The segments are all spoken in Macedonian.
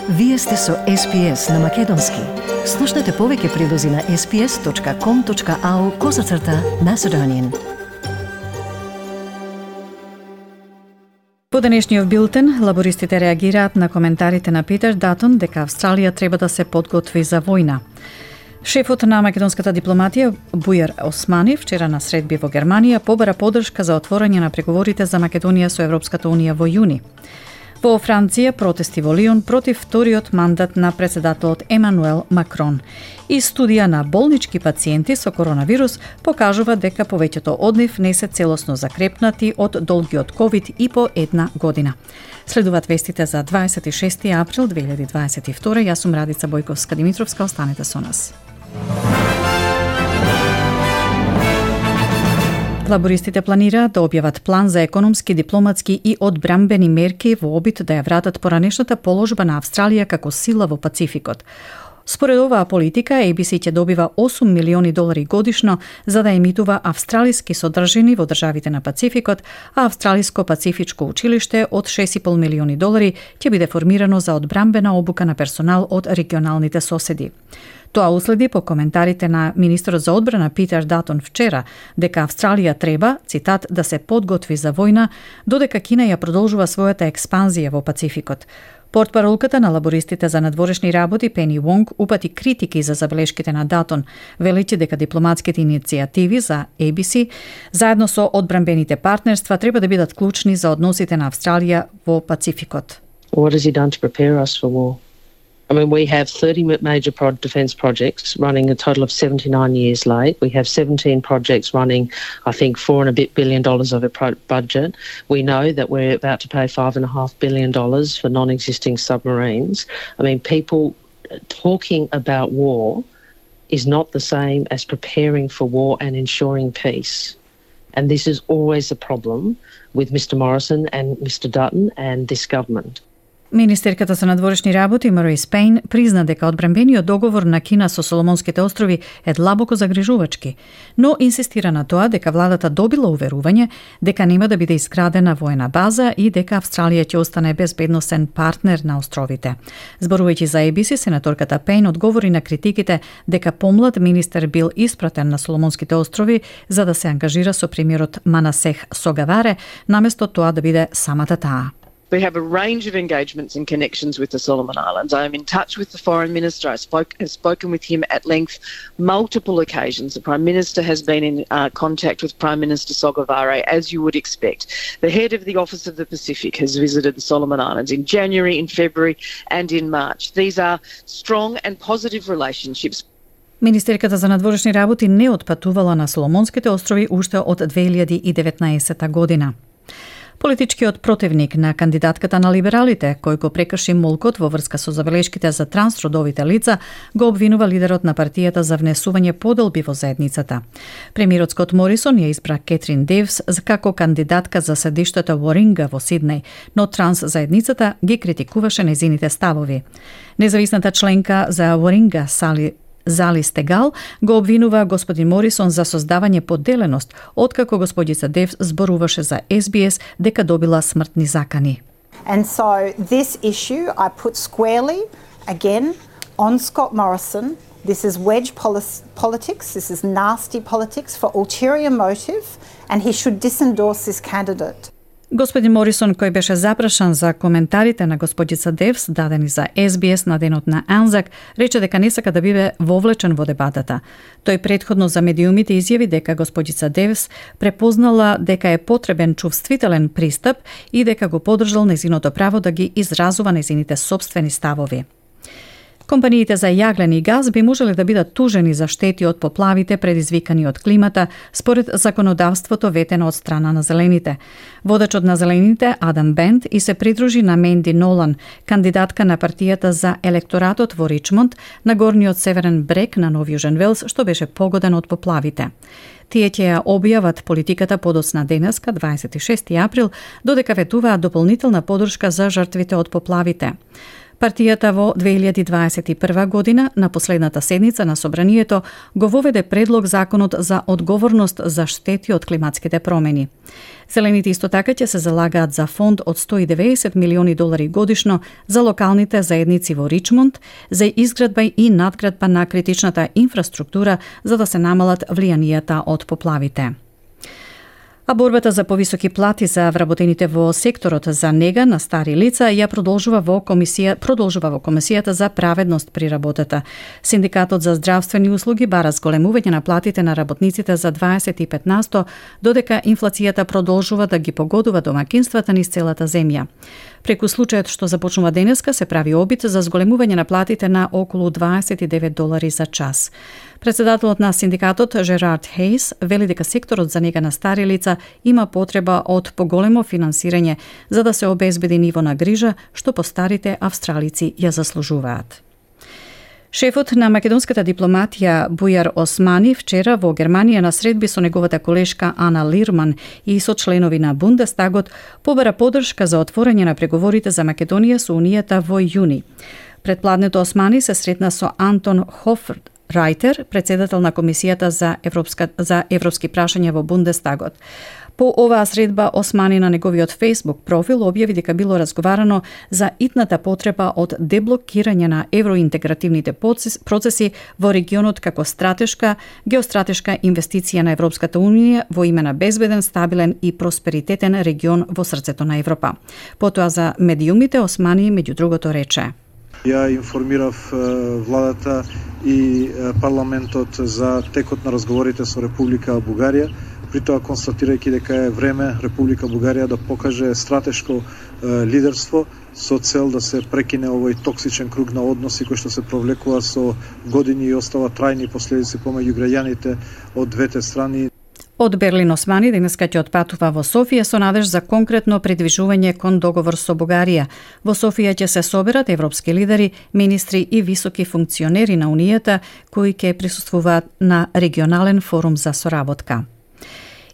Вие сте со SPS на Македонски. Слушнете повеќе прилози на sps.com.au/Macedonian. По денешниот билтен, лабористите реагираат на коментарите на Питер Датон дека Австралија треба да се подготви за војна. Шефот на македонската дипломатија Бујар Османи вчера на средби во Германија побара поддршка за отворање на преговорите за Македонија со Европската унија во јуни. Во Франција протести во Лион против вториот мандат на председателот Емануел Макрон. И студија на болнички пациенти со коронавирус покажува дека повеќето од нив не се целосно закрепнати од долгиот ковид и по една година. Следуваат вестите за 26 април 2022. Јас сум Радица Бојковска-Димитровска, останете со нас. Лабористите планираат да објават план за економски, дипломатски и одбрамбени мерки во обид да ја вратат поранешната положба на Австралија како сила во Пацификот. Според оваа политика, ABC ќе добива $8 милиони годишно за да емитува австралиски содржини во државите на Пацификот, а Австралиско-пацифичко училиште од $6,5 милиони ќе биде формирано за одбрамбена обука на персонал од регионалните соседи. Тоа уследи по коментарите на министерот за одбрана Питер Датон вчера дека Австралија треба, цитат, да се подготви за војна, додека Кина ја продолжува својата експанзија во Пацификот. Портпаролката на лабористите за надворешни работи Пени Вонг упати критики за забелешките на Датон, велејќи дека дипломатските иницијативи за ABC заедно со одбрамбените партнерства треба да бидат клучни за односите на Австралија во Пацификот. What has he done to prepare us for war? I mean, we have 30 major defence projects running a total of 79 years late. We have 17 projects running, I think, $4 and a bit billion of a budget. We know that we're about to pay $5.5 billion for non-existing submarines. I mean, people talking about war is not the same as preparing for war and ensuring peace. And this is always a problem with Mr. Morrison and Mr. Dutton and this government. Министерката за надворешни работи Марис Пейн призна дека одбрамбениот договор на Кина со Соломонските острови е длабоко загрижувачки, но инсистира на тоа дека владата добила уверување дека нема да биде изградена воена база и дека Австралија ќе остане безбедносен партнер на островите. Зборувајќи за ABC, сенаторката Пейн одговори на критиките дека помлад министер бил испратен на Соломонските острови за да се ангажира со премиерот Манасех Согаваре, наместо тоа да биде самата таа. We have a range of engagements and connections with the Solomon Islands. I am in touch with the Foreign Minister. I have spoken with him at length multiple occasions. The Prime Minister has been in contact with Prime Minister Sogavare, as you would expect. The head of the Office of the Pacific has visited the Solomon Islands in January, in February and in March. These are strong and positive relationships. Министерката за надворешни работи не отпатувала на Соломонските острови уште од 2019 година. Политичкиот противник на кандидатката на либералите, кој го прекрши молкот во врска со забелешките за трансродовите лица, го обвинува лидерот на партијата за внесување поделби во заедницата. Премиерот Скот Морисон ја избра Кетрин Девс како кандидатка за седиштето Warringah во Сиднеј, но транс заедницата ги критикуваше нејзините ставови. Независната членка за Warringah Зали Стегал го обвинува господин Морисон за создавање поделеност, откако господица Девс зборуваше за SBS дека добила смртни закани. And so this issue I put squarely again on Scott Morrison. This is wedge politics, this is nasty politics for ulterior motive and he should disendorse this candidate. Господин Морисон, кој беше запрашан за коментарите на господица Девс дадени за SBS на денот на Анзак, рече дека не сака да биде вовлечен во дебатата. Тој претходно за медиумите изјави дека господица Девс препознала дека е потребен чувствителен пристап и дека го поддржал нејзиното право да ги изразува нејзините сопствени ставови. Компаниите за јаглен и газ би можеле да бидат тужени за штети од поплавите предизвикани од климата, според законодавството ветено од страна на зелените. Водачот на зелените, Адам Бент, и се придружи на Менди Нолан, кандидатка на партијата за електоратот во Ричмонд, на горниот северен брег на Нов Јужен Велс, што беше погоден од поплавите. Тие ќе ја објават политиката подоцна денеска, 26 април, додека ветуваат дополнителна поддршка за жртвите од поплавите. Партијата во 2021 година на последната седница на Собранието го воведе предлог законот за одговорност за штети од климатските промени. Зелените исто така ќе се залагаат за фонд од $190 милиони годишно за локалните заедници во Ричмонд за изградба и надградба на критичната инфраструктура за да се намалат влијанијата од поплавите. А борбата за повисоки плати за вработените во секторот за нега на стари лица ја продолжува во Комисијата за праведност при работата. Синдикатот за здравствени услуги бара зголемување на платите на работниците за 25%, додека инфлацијата продолжува да ги погодува домакинствата низ целата земја. Преку случајот што започнува денеска се прави обид за зголемување на платите на околу $29 за час. Председателот на синдикатот Жерард Хейс вели дека секторот за нега на стари лица има потреба од поголемо финансирање за да се обезбеди ниво на грижа што постарите австралици ја заслужуваат. Шефот на македонската дипломатија Бујар Османи вчера во Германија на средби со неговата колешка Ана Лирман и со членови на Бундестагот побара поддршка за отворање на преговорите за Македонија со Унијата во јуни. Предпладнето Османи се сретна со Антон Хофрайтер, председател на Комисијата за европски прашања во Бундестагот. По оваа средба Османи на неговиот Facebook профил објави дека било разговарано за итната потреба од деблокирање на евроинтегративните процеси во регионот како геостратешка инвестиција на Европската Унија во име на безбеден, стабилен и просперитетен регион во срцето на Европа. Потоа за медиумите Османи меѓу другото рече: Ја информирав владата и парламентот за текот на разговорите со Република Бугарија, при тоа констатирајќи дека е време Република Бугарија да покаже стратешко лидерство со цел да се прекине овој токсичен круг на односи кој што се провлекува со години и остава трајни последици помеѓу граѓаните од двете страни. Од Берлин Османи денеска ќе отпатува во Софија со надеж за конкретно придвижување кон договор со Бугарија. Во Софија ќе се соберат европски лидери, министри и високи функционери на Унијата кои ќе присуствуваат на регионален форум за соработка.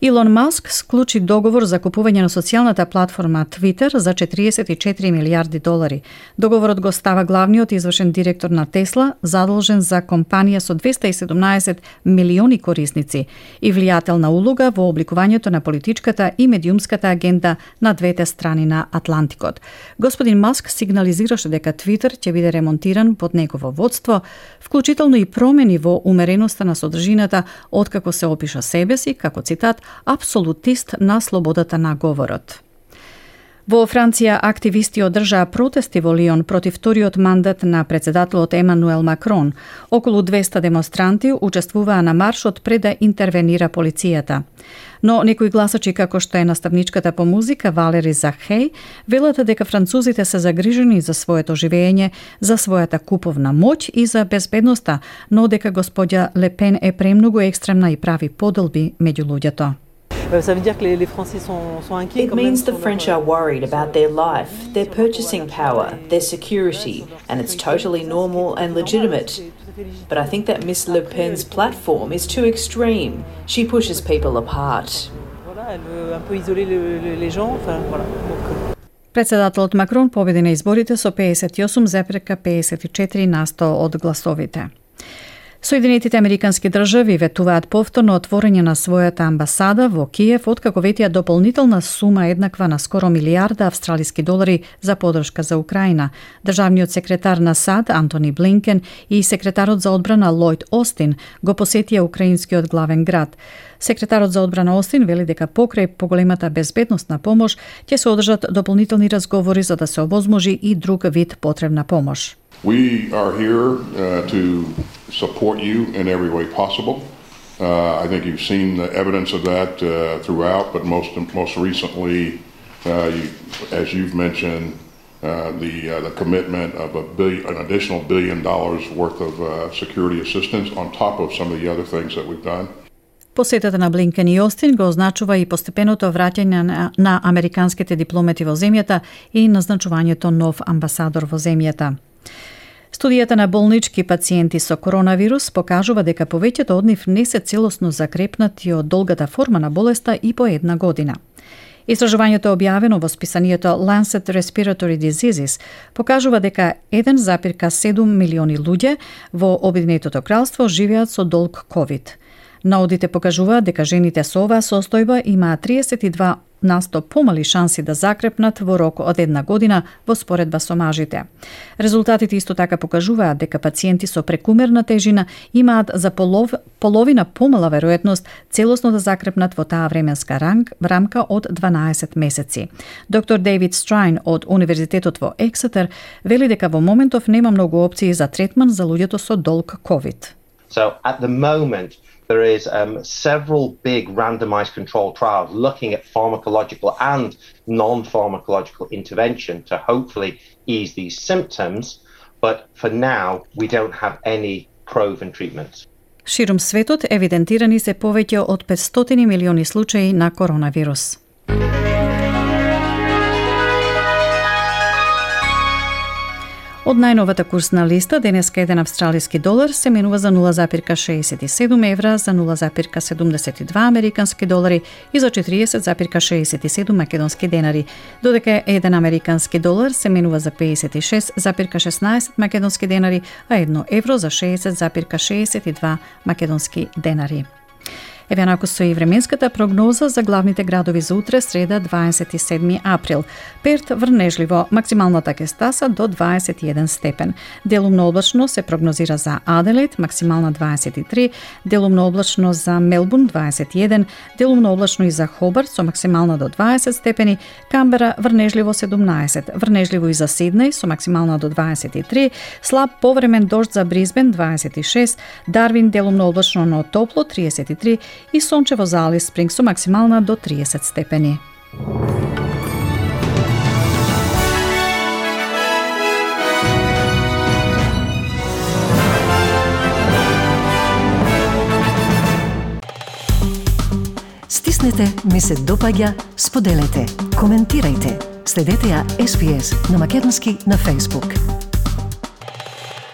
Илон Маск склучи договор за купување на социјалната платформа Twitter за $44 милиарди. Договорот го става главниот извршен директор на Тесла, задолжен за компанија со 217 милиони корисници и влијателна улога во обликувањето на политичката и медиумската агенда на двете страни на Атлантикот. Господин Маск сигнализираше дека Twitter ќе биде ремонтиран под негово водство, вклучително и промени во умереноста на содржината, откако се опиша себе си како цитат апсолутист на слободата на говорот. Во Франција активисти одржаа протести во Лион против вториот мандат на председателот Емануел Макрон. Околу 200 демонстранти учествуваа на маршот пред да интервенира полицијата. Но некои гласачи како што е наставничката по музика Валери Захеј велат дека французите се загрижени за своето живење, за својата куповна моќ и за безбедноста, но дека господја Лепен е премногу екстремна и прави поделби меѓу луѓето. It means the French are worried about their life, their purchasing power, their security, and it's totally normal and legitimate. But I think that Miss Le Pen's platform is too extreme. She pushes people apart. Председателот Макрон победи на изборите со 58,54% од гласовите. Соединетите американски држави ветуваат повторно отворање на својата амбасада во Киев откако ветија дополнителна сума еднаква на скоро $1 милиарди за поддршка за Украина. Државниот секретар на САД Антони Блинкен и секретарот за одбрана Лојд Остин го посетија украинскиот главен град. Секретарот за одбрана Остин вели дека покрај поголемата безбедносна помош ќе се одржат дополнителни разговори за да се овозможи и друг вид потребна помош. We are here to support you in every way possible. I think you've seen the evidence of that throughout, but most recently, as you've mentioned, the commitment of an additional $1 billion worth of security assistance on top of some of the other things that we've done. Посетата на Блинкен и Остин го означува и постепеното враќање на американските дипломати во земјата и назначувањето нов амбасадор во земјата. Студијата на болнички пациенти со коронавирус покажува дека повеќето од нив не се целосно закрепнати од долгата форма на болеста и по една година. Истражувањето објавено во списанието Lancet Respiratory Diseases покажува дека 1,7 милиони луѓе во Обединетото кралство живеат со долг COVID. Наудите покажуваат дека жените со оваа состојба имаат 32% помали шанси да закрепнат во рок од 1 година во споредба со мажите. Резултатите исто така покажуваат дека пациенти со прекумерна тежина имаат за половина помала веројатност целосно да закрепнат во таа временска рамка од 12 месеци. Доктор Дейвид Страйн од Универзитетот во Ексетер вели дека во моментов нема многу опции за третман за луѓето со долг COVID. So at the moment there is several big randomized controlled trials looking at pharmacological and non-pharmacological intervention to hopefully ease these symptoms, but for now we don't have any proven treatments. Ширум светот евидентирани се повеќе од 500 милиони случаи на коронавирус. Од најновата курсна листа, денеска еден австралиски долар се менува за 0,67 евра, за 0,72 американски долари и за 40,67 македонски денари, додека еден американски долар се менува за 56,16 македонски денари, а 1 евро за 60,62 македонски денари. Еве нако со и временската прогноза за главните градови за утре, среда 27 април. Перт врнежливо, максималната ќе стаса до 21 степен. Делумно облачно се прогнозира за Аделаид, максимална 23, делумно облачно за Мелбурн 21, делумно облачно и за Хобарт со максимална до 20 степени, Камбера врнежливо 17, врнежливо и за Сиднеј со максимална до 23, слаб повремен дожд за Брисбен 26, Дарвин делумно облачно но топло 33 и сончево за Алис Спрингс со максимална до 30 степени. Стиснете, ми се допаѓа, споделете, коментирајте. Следете ја SPS на Македонски на Facebook.